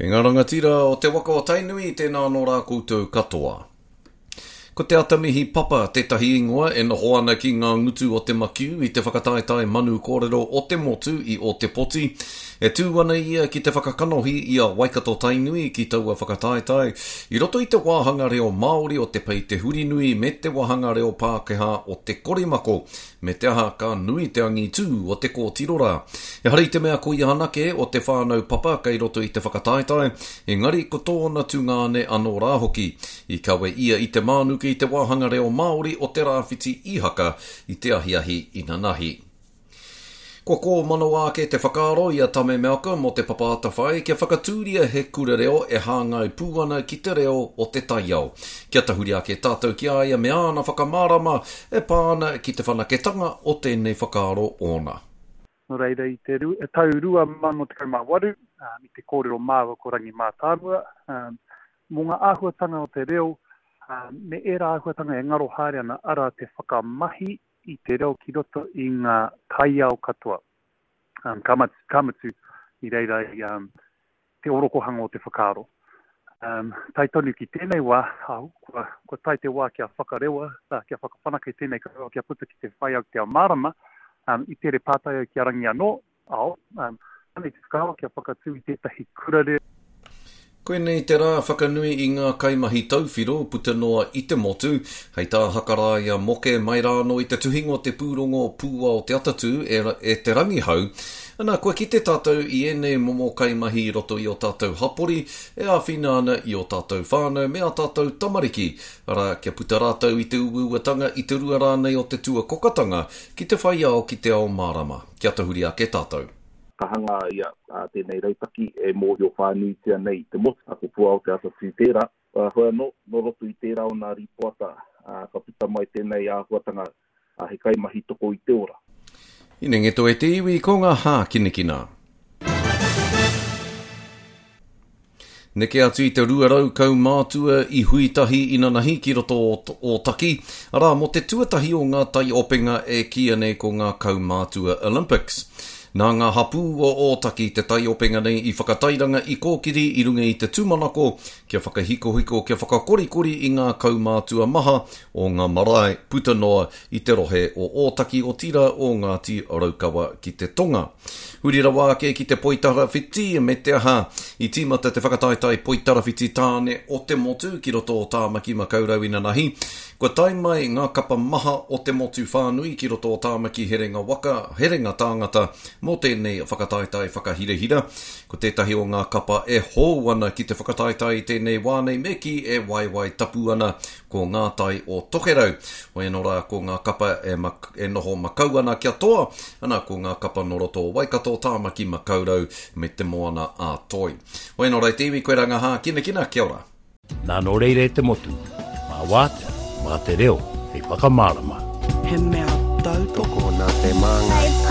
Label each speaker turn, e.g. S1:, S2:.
S1: E ngā rangatira o te waka o Tainui, tēnā anō rā koutou katoa. Ko Te Atamihi Papa tētahi ingoa e noho ana ki ngā ngutu o te makiu i te whakataetae manu kōrero o te motu i Ōtepoti. E tū ana ia ki te whakakanohi i a Waikato-Tainui ki taua whakataetae i roto i te wāhanga reo Māori o te Pei Te Hurinui me te wāhanga reo Pākehā o te Korimako. Me te aha, ka nui te angitū o te kōtiro rā. Ehara i te mea ko ia anake o te whānau Papa kei roto i te whakataetae, engari ko tōna tungāne anō rā hoki. I kawe ia i te mānuka i te wāhanga reo Māori o Te Rāwhiti Ihaka i te ahiahi inanahi. Kua kōmanawa ake te whakaaro i a Tame Malcolm o Te Papa Atawhai kia whakatūria he kura reo e hāngai pū ana ki te reo o te taiao. Kia tahuri ake tātou ki a ia me āna whakamārama e pā ana ki te whanaketanga o tēnei whakaaro ōna.
S2: Nō reira, i te tau 2018, i te kōrero māua ko Rangi Mātāmua, mō ngā āhuatanga o te reo, me ērā āhuatanga e ngaro haere ana, arā te whakamahi i te reo ki roto i ngā taiao katoa. Um, ka, mat, ka mutu i reira i um, te orokohanga o te whakaaro. Um, tae tonu ki tēnei wā, au, kua, kua tae te wā kia whakarewa, uh, kia whakawhanake tēnei kaupapa kia puta ki te whai au te ao mārama, um, i tere pātai au ki a Rangi anō, ao, um, anei te whakaaro kia whakatū i tētahi kura reo.
S1: Koinei te rā whakanui i ngā kaimahi tauwhiro puta noa i te motu. Hei tā Hakaraia Moke mai rā anō i te tuhinga o te pūrongo Pūao Te Atatū e, e Te Rangihau, ana, kua kite tātou i ēnei momo kaimahi i roto i ō tātou hapori e āwhina ana i ō tātou whānau me ā tātou tamariki, arā, kia puta rātou i te uauatanga, i te rua rānei o te tuakokatanga ki te whai ao ki te ao mārama. Kia tahuri ake tātou.
S3: Ka hanga ia tēnei rautaki e mōhio whānuitia nei i te motu, ko Puao Te Atatū tērā. Hoi anō, nō roto i tērā o nā rīpoata ka puta mai tēnei āhuatanga he kaimahi toko i te ora.
S1: Inengeto e te iwi ko ngā hākinakina. Neke atu i te 200 kaumātua i hui tahi inanahi ki roto o Ōtaki, arā, mō te tuatahi o ngā taiopenga e kīia nei ko ngā Kaumātua Olympics. Nā ngā hapū o Ōtaki te taiopenga nei i whakatairanga i kōkiri i runga i te tūmanako kia whakahikohiko, kia whakakorikori i ngā kaumātua maha o ngā marae puta noa i te rohe o Ōtaki otirā o Ngāti Raukawa ki te tonga. Huri rawa ake ki te poitarawhiti, me te aha, i tīmata te whakataetae poitarawhiti tāne o te motu ki roto o Tāmaki Makaurau inanahi. Kua tae mai ngā kapa maha o te motu whānui ki roto o Tāmaki herenga waka, herenga tāngata mō tēnei whakataetae whakahirahira. Ko tētahi o ngā kapa e hou ana ki te whakataetae i tēnei wā nei me kī e waewae tapu ana Ko ngā tai o Tokerau. Hoi anō rā, ko ngā kapa e, e noho makau ana kia toa, ana ko ngā kapa nō roto o Waikato, Tāmaki Makaurau me Te Moana a Toi. Hoi anō rā e te iwi, koirā ngā hākinakina, kia ora.
S4: Nā nō reira e te motu, mā wātea, mā te reo hei whakamārama.
S5: He mea tautoko.
S6: Tokona te māngai.